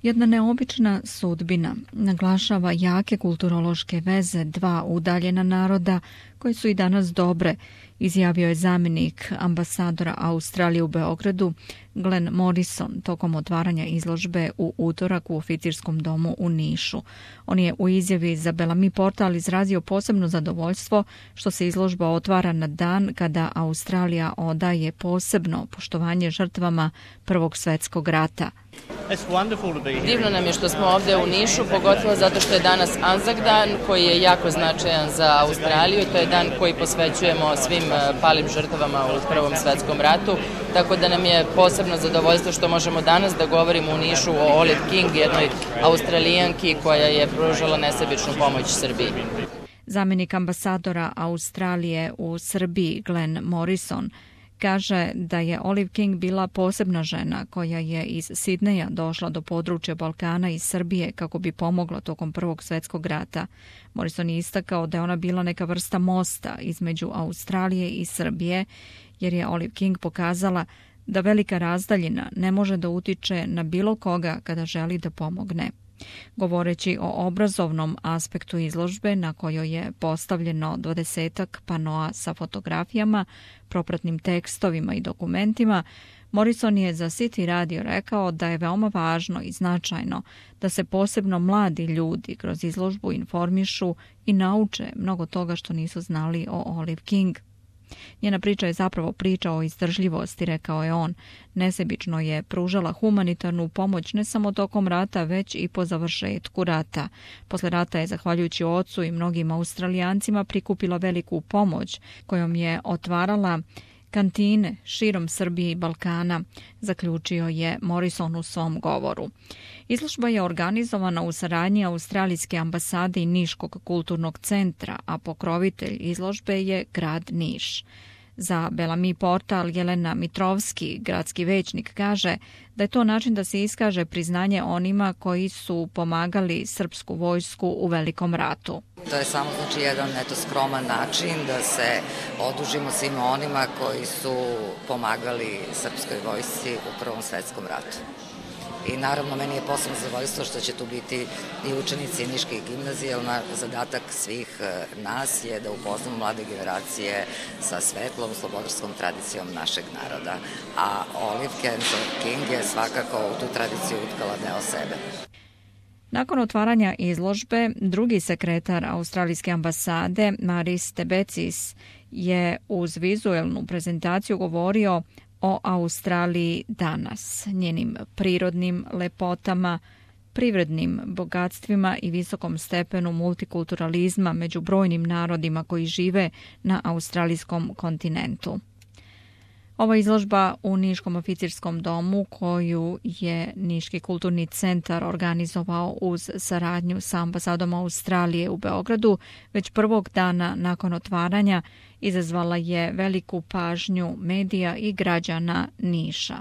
Jedna neobična sudbina naglašava jake kulturološke veze dva udaljena naroda koje su i danas dobre, izjavio je zamjenik ambasadora Australije u Beogradu Glenn Morrison tokom otvaranja izložbe u utorak u oficirskom domu u Nišu. On je u izjavi za Bellamy portal izrazio posebno zadovoljstvo što se izložba otvara na dan kada Australija odaje posebno poštovanje žrtvama Prvog svjetskog rata. Divno nam je što smo ovdje u Nišu, pogotovo zato što je danas Anzac dan koji je jako značajan za Australiju. To je dan koji posvećujemo svim palim žrtvama u Prvom svjetskom ratu, tako da nam je posebno zadovoljstvo što možemo danas da govorimo u Nišu o Olive King, jednoj Australijanki koja je pružala nesebičnu pomoć Srbiji. Zamjenik ambasadora Australije u Srbiji Glenn Morrison kaže da je Olive King bila posebna žena koja je iz Sidneja došla do područja Balkana iz Srbije kako bi pomogla tokom Prvog svjetskog rata. Morrison je istakao da je ona bila neka vrsta mosta između Australije i Srbije, jer je Olive King pokazala da velika razdaljina ne može da utiče na bilo koga kada želi da pomogne. Govoreći o obrazovnom aspektu izložbe na kojoj je postavljeno 20-ak panoa sa fotografijama, propratnim tekstovima i dokumentima, Morrison je za City Radio rekao da je veoma važno i značajno da se posebno mladi ljudi kroz izložbu informišu i nauče mnogo toga što nisu znali o Olive King. Njena priča je zapravo priča o izdržljivosti, rekao je on. Nesebično je pružala humanitarnu pomoć ne samo tokom rata, već i po završetku rata. Posle rata je, zahvaljujući ocu i mnogim Australijancima, prikupila veliku pomoć kojom je otvarala kantine širom Srbije i Balkana, zaključio je Morrison u svom govoru. Izložba je organizovana u saradnji Australijske ambasade i Niškog kulturnog centra, a pokrovitelj izložbe je grad Niš. Za Bellamy portal Jelena Mitrovski, gradski većnik, kaže da je to način da se iskaže priznanje onima koji su pomagali srpsku vojsku u Velikom ratu. To je samo jedan skroman način da se odužimo svima onima koji su pomagali srpskoj vojsci u Prvom svjetskom ratu. I naravno meni je posebno zadovoljstvo što će tu biti i učenici niških gimnazija, jer zadatak svih nas je da upoznamo mlade generacije sa svetlom, slobodarskom tradicijom našeg naroda. A Olive King je svakako u tu tradiciju utkala deo sebe. Nakon otvaranja izložbe, drugi sekretar Australijske ambasade, Maris Tebecis, je uz vizuelnu prezentaciju govorio o Australiji danas, njenim prirodnim lepotama, privrednim bogatstvima i visokom stepenu multikulturalizma među brojnim narodima koji žive na australijskom kontinentu. Ova izložba u Niškom oficirskom domu, koju je Niški kulturni centar organizovao uz saradnju sa ambasadom Australije u Beogradu, već prvog dana nakon otvaranja izazvala je veliku pažnju medija i građana Niša.